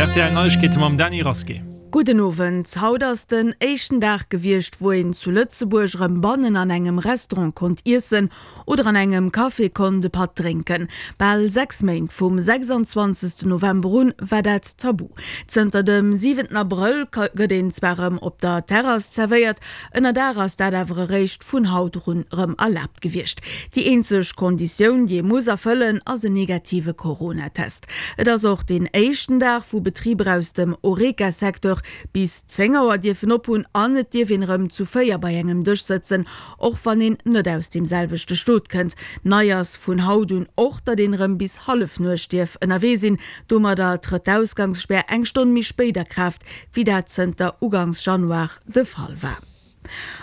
Rtl Neiegkeete mam Dany Rasqué. Gudden Owend. Haut ass den éischten Dag gewiescht, wou een zu Lëtzebuerg erëm bannen an engem Restaurant konnt iessen oder an engem Café konnt e Patt drénken. Bal 6 Méint, vum 26 November un, war dat tabu. Zënter dem 7 Abrëll gëtt een zwar erëm op der Terrass zerwéiert, ënnerdaach ass dat awer eréischt vun haut erun erëm erlaabt gewiescht. Déi eenzeg Konditioun, déi ee muss erfëllen, ass en negative Coronatest. Et ass och deen éischten Dag, wou Betriber aus dem Horeca-Secteur bis 10 Auer dierfen ophunn an et dierf een erëm zu 4 bei engem Dësch sëtzen, och wann een net aus deem selwechte Stot kënnt. Nei ass vun haut un och, datt een erëm bis Hallefnuecht dierf ënnerwee sinn. Domadder trëtt d'Ausgangsspär eng Stonn méi spéit a Kraaft, wéi dat zënter ugangs Januar de Fall war.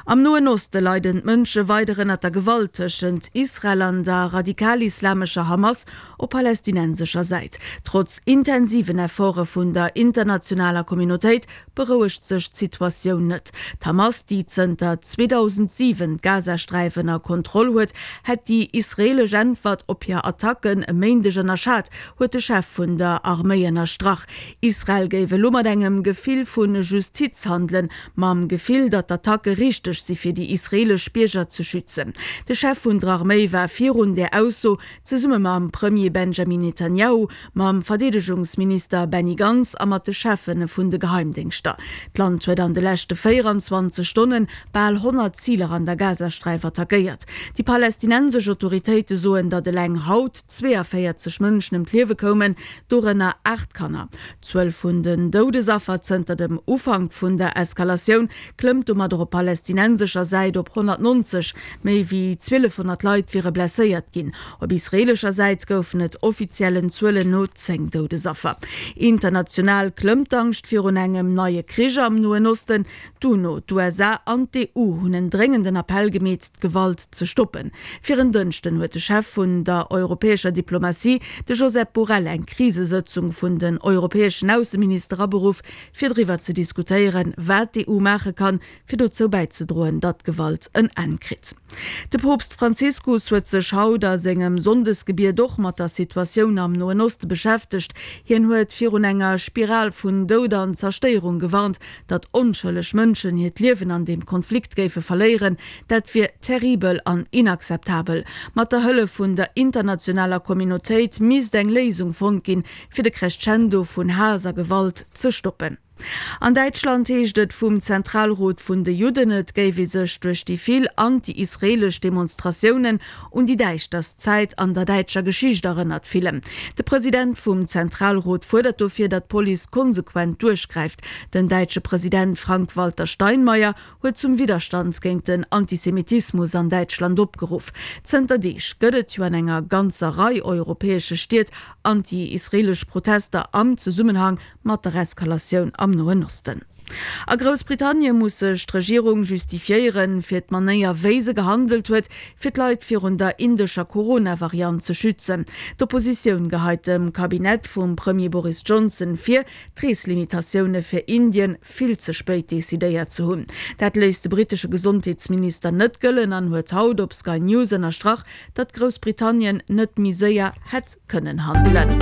Am Noen Oste leiden d'Mënsche weider ënnert der Gewalt tëschent Israel an der radikal-islamescher Hamas op palästinensescher Säit. Trotz intensiven Efforte vun der internationaler Communautéit berouegt sech d'Situatioun net. D'Hamas, déi zënter 2007 d'Gazasträif ënner Kontroll huet, hätt déi israeelesch Äntwert op hir Attacken e Méindeg ënnerschat, huet de Chef vun der Arméi ënnerstrach. Israel géif elo mat engem Gefill vu Justiz handelen, mam Gefill, datt d'Attacke richteg si fir déi israeelesch Bierger ze schützen. De Chef vun der Arméi war virun där Ausso zesumme mam Premier Benjamin Netanjahu, mam Verdeedegungsminister Benny Gantz a mat de Cheffe vun de Geheimdéngschter. D'Land huet an de leschte 24 Stonne bal 100 Ziler an der Gazasträif attackéiert. Déi palästinensesch Autoritéite soen, datt eleng haut 42 Mënschen ëm d'Liewe koumen, dorënner 8 Kanner. D'Zuel vun den Doudesaffer zënter dem Ufank vun der Eskalatioun klëmmt domadder op palästinensescher Säit op 190. Méi wéi 1.200 Leit wiere blesséiert ginn. Op israeelescher Säit goufen et offiziellen Zuelen no 10 Doudesaffer. International klëmmt d'Angscht virun engem neie Krich am Noen Osten. D'UNO, d'USA an d'EU hunn en dréngenden Appell gemeet, d'Gewalt ze stoppen. Fir en Dënschden huet de Chef vun der europäescher Diplomatie, de Josep Borrell, eng Krisesëtzung vun den europäeschen Ausseminister aberuff, fir driwwer ze diskutéieren, wat d'EU maache kann, fir dozou bäizedroen, datt d'Gewalt en Enn kritt. De Poopst Franziskus huet sech haut a sengem Sonndesgebiet och mat der Situatioun am Noen Oste beschäftegt. Hien huet virun enger Spiral vun Doud an Zerstéierung gewarnt, Datt onschëlleg Mënschen hiert Liewen an deem Konflikt géife verléieren, dat wier terribel an inakzeptabel. Mat der Hëllef vun der internationaler Communautéit misst eng Léisung fonnt ginn, fir de Crescendo vun Haass a Gewalt ze stoppen. An Däitschland heescht et vum Zentralrot vun de Judden, et géif ee sech duerch déi vill anti-israeelesch Demonstratiounen un déi däischterst Zäit an der däitscher Geschicht erënnert fillen. De President vum Zentralrot fuerdert dofir, datt d'Police konsequent duerchgräift. Den däitsche President Frank-Walter Steinmeier huet zum Widderstand géint den Antisemitismus an Däitschland opgeruff. Zënter Deeg gëtt et jo an enger ganzer Rei europäesche Stied anti-israeelesch Protester am Zesummenhang mat der Eskalatioun am Noen Osten. A Groussbritannie muss sech d'Regierung justifiéieren, fir d'Manéier wéi se gehandelt huet, fir d'Leit virun der indescher Corona-Variant ze schützen. D'Oppositioun geheit dem Kabinett vum Premier Boris Johnson vir, d'Reeslimitatioune fir Indien vill ze spéit decidéiert ze hunn. Dat léisst de brittesche Gesondheetsminister net gëllen an huet haut op Sky News ënnerstrach, datt Groussbritannien net méi séier hätt kënnen handelen.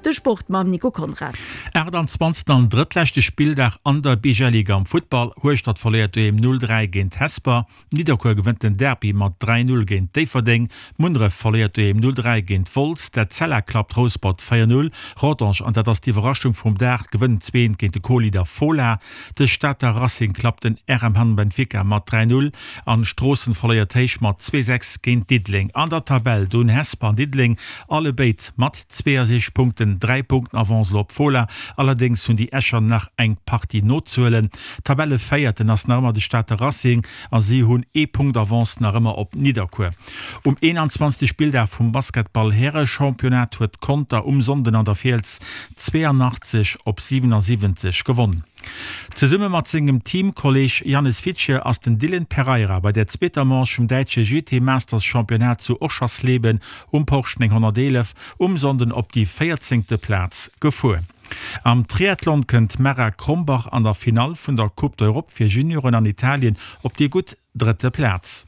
De Sport mam Nico Conrad. 28. an drëttleschte Spilldag an der Bijeliga am Futtball. Hueschtert verléiert doheem 0, 3 géint Hesper. Nidderkuer gewënnt den Derby mat 3, 0 géint Déifferdeng. Munneref verléiert doheem 0, 3 géint Wolz. D'Etzella klappt Rouspert 4, 0. Rodange, an dat ass d'Iwwerraschung vum Dag, gewënnt 2, 1 géint de Co-Leader Fola. De Stater Racing klappt den RM Hamm Benfica mat 3, 0 an Stroossen verléiert héich mat 2, 6 géint Diddeleng. An der Tabell do hunn Hesper an Diddeleng allebéid mat 62 Punkten 3 Punkten Avance elo op Fola. Allerdéngs hunn déi Escher nach eng Partie nozehuelen. Tabellevéierten ass nach ëmmer de Stater Racing a si hunn ee Punkt Avance nach ëmmer op Nidderkuer. Um 21. Spilldag vum Basketball-Härechampionnat huet Conter um Sonnden an der Fiels 82 op 77 gewonn. Zesumme mat sengem Teamkolleeg Jannes Fittje ass den Dylan Pereira bei der zweeter Manche vum däitsche GT Masters Championnat zu Oschersleben um Porsche 911 um Sonnden op déi véierzéngte Plaz gefuer. Am Triathlon kënnt d'Mara Krombach an der Finall vun der Coupe d'Europe fir Junioren an Italien op déi gutt. drëtte Plaz.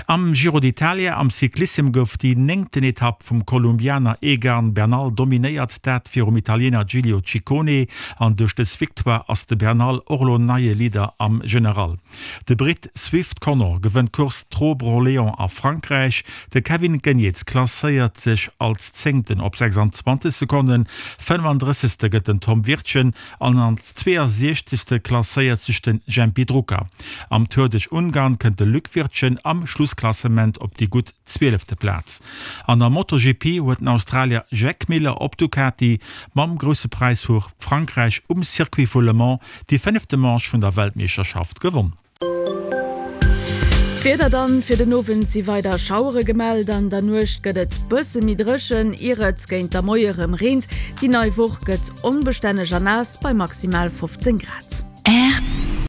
Am Giro d'Italia am Cyclissem gouf déi néngten Etapp vum Kolumbianer Egan Bernal dominéiert, dat virum Italiener Giulio Ciccone. An duerch dës Victoire ass de Bernal och elo neie Leader am General. De Britt Swift Connor gewënnt d'Course Trobro-Léon a Frankräich. De Kevin Geniets klasséiert sech als Zéngten op 26 Sekonnen, 35. gëtt den Tom Wirtgen An als 62. Klasséiert sech de Jempy Drucker. Am Tour duerch Ungarn kënnt de Luc Wirtgen am Schlussklassement op déi gutt zwielefte Plaz. An der MotoGP huet den Australier Jack Miller op Ducati mam Grousse Präis vu Frankräich um Circuit vu Le Mans déi fënnefte Manche vun der Weltmeeschterschaft gewonn. D'Wieder dann, Fir den Owend si weider Schauere gemellt, an der Nuecht gëtt et bësse méi dréchen, ier et géint der Moie rëm reent. Déi nei Woch gëtt onbestänneg a naass bei maximal 15 Grad.